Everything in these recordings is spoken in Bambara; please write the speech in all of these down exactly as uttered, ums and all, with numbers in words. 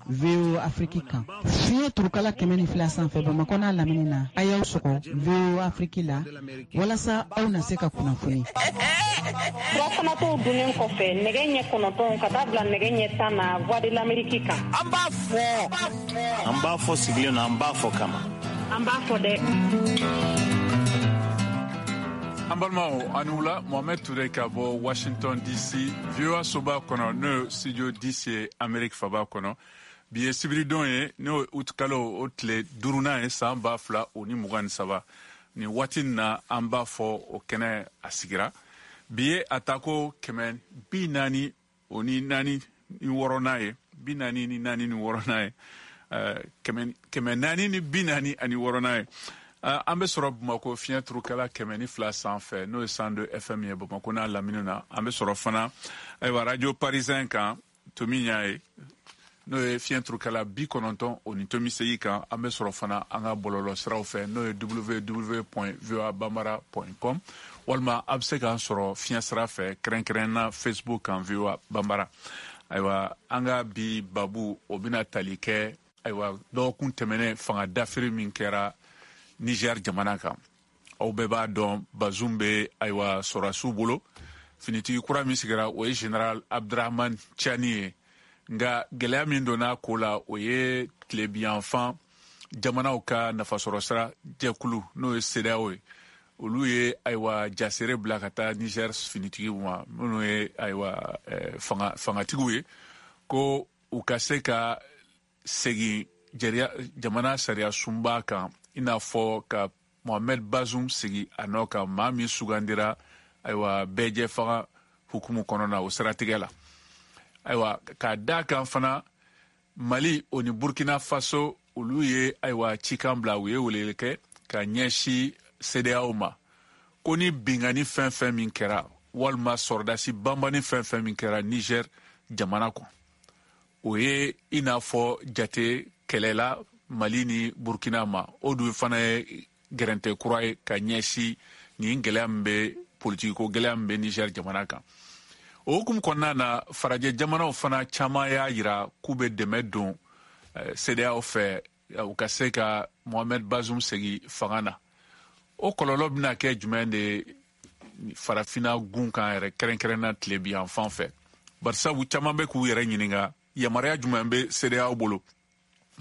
V O A Afrique kan. Fiɲɛ turukala kɛmɛ ni fila sanfɛ Bamakɔ n'a lamini na, a y'aw sɔgɔ V O A Afrique la walasa aw na se ka kunnafoni. Furafanatɔw dunnen kɔfɛ nɛgɛ ɲɛ kɔnɔntɔn ka taa bila nɛgɛ ɲɛ tan na Voix de l'Amérique kan. An b'a fɔ. An b'a fɔ sigilen na, an b'a fɔ kama. An b'a fɔ dɛ. An balimaw, a ni wula. Mohamed Touré ka bɔ Washington D C, V O A soba kɔnɔ, n'o ye studio D C ye, Amérique faba kɔnɔ. Bi ye sibiridon ye, n'o ye août kalo o tile duurunan ye, san ba fila o ni mugan ni saba. Nin waati nin na, an b'a fɔ o kɛnɛ a sigira. Bi ye a tako kɛmɛ bi naani o ni naani ni wɔɔrɔnan ye, bi naani ni naani ni wɔɔrɔnan ye, kɛmɛ naani ni bi naani ani wɔɔrɔnan ye. An bɛ sɔrɔ Bamakɔ fiɲɛ turukala kɛmɛ ni fila sanfɛ, n'o ye cent deux F M ye, Bamakɔ n'a lamini na. An bɛ sɔrɔ fana, ayiwa, radio parisien kan, tomi ɲa ye, n'o ye fiɲɛ turukala bi kɔnɔntɔn o ni tomi segi kan. An bɛ sɔrɔ fana an ka bɔlɔlɔ siraw fɛ, n'o ye W W W point voa bambara point com, walima a bɛ se k'an sɔrɔ fiɲɛ sira fɛ, kɛrɛnkɛrɛn na Facebook kan, V O A Bambara. Ayiwa, an ka bi babu, o bɛna tali kɛ, ayiwa, dɔgɔkun tɛmɛnen fanga dafiri min kɛra Niger jamana kan. Aw bɛɛ b'a dɔn, Bazum bɛ, ayiwa, sɔrɔdasiw bolo. Finitigi kura min sigira, o ye général Abdrahman Tiani ye. Nka gɛlɛya min donna ko la, o ye tilebiyanfan jamanaw ka nafasɔrɔsira jɛkulu, n'o ye CEDEAO ye, olu ye, ayiwa, jasere bila ka taa Niger finitigiw ma, minnu ye, ayiwa, fanga fangatigiw ye, ko u ka se ka segin jamana sariya sunba kan, i n'a fɔ ka Mohamed Bazoum sigi a nɔ kan, maa min sugandira, ayiwa, bɛɛjɛ fanga hukumu kɔnɔna. O siratigɛ la, ayiwa, k'a da kan fana, Mali o ni Burkina Faso, olu ye, ayiwa, cikan bila, u ye weleli kɛ ka ɲɛsin CEDEAO ma, ko ni bingani fɛn fɛn min kɛra, walima sɔrɔdasi banbani fɛn fɛn min kɛra Niger jamana kɔnɔ, o ye i n'a fɔ jate kɛlɛla Mali ni Burkina ma. O dun fana ye gɛrɛntɛ kura ye ka ɲɛsin nin gɛlɛya min bɛ, politikiko gɛlɛya min bɛ Niger jamana kan. O hukumu kɔnɔna na, farajɛ jamanaw fana caman y'a yira k'u bɛ dɛmɛ don CEDEAO fɛ, u ka se ka Mohamed Bazoum segi fanga na. O kɔlɔlɔ bɛna kɛ jumɛn de ye farafinna gun kan yɛrɛ, kɛrɛnkɛrɛnna tilebi yan fan fɛ? Barisabu caman bɛ k'u yɛrɛ ɲininka, yamaruya jumɛn bɛ CEDEAO bolo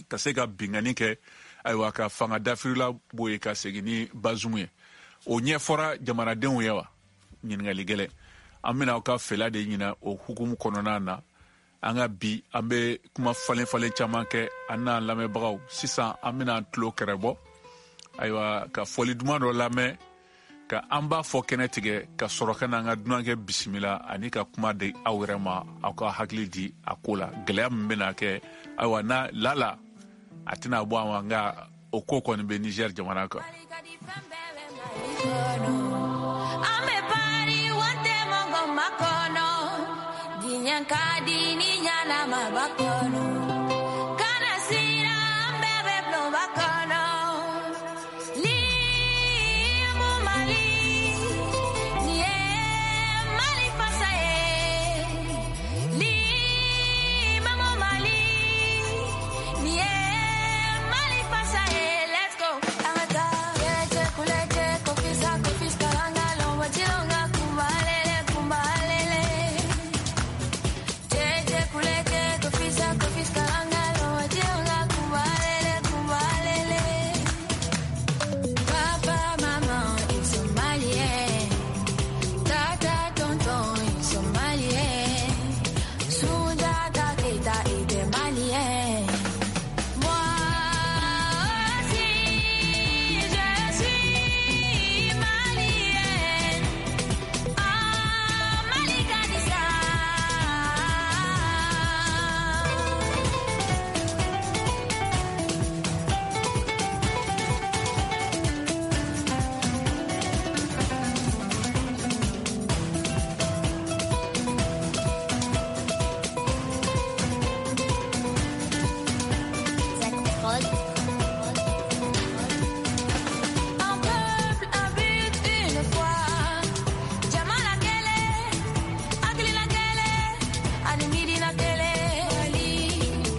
ka se ka bingani kɛ, ayiwa, ka fanga dafirila bɔ yen ka segin ni Bazoum ye? O ɲɛfɔra jamanadenw ye wa? Ɲininkali gɛlɛn. An bɛna aw ka fɛla de ɲina o hukumu kɔnɔna na. An ka bi, an bɛ kuma falen falen caman kɛ an n'an lamɛnbagaw. Sisan, an bɛna an tulo kɛrɛbɔ, ayiwa, ka fɔli duman dɔ lamɛn, ka an b'a fɔ kɛnɛ tigɛ, ka sɔrɔ ka n'an ka dunankɛ bisimila ani ka kuma di aw yɛrɛ ma, aw ka hakili di a ko la. Gɛlɛya min bɛna kɛ, ayiwa, n'a lala a tɛna bɔ a ma, nka o ko kɔni bɛ Niger jamana kan. An bɛ pari wante mɔgɔ makɔnɔ, diɲɛ ka di ni ɲanama b'a kɔnɔ.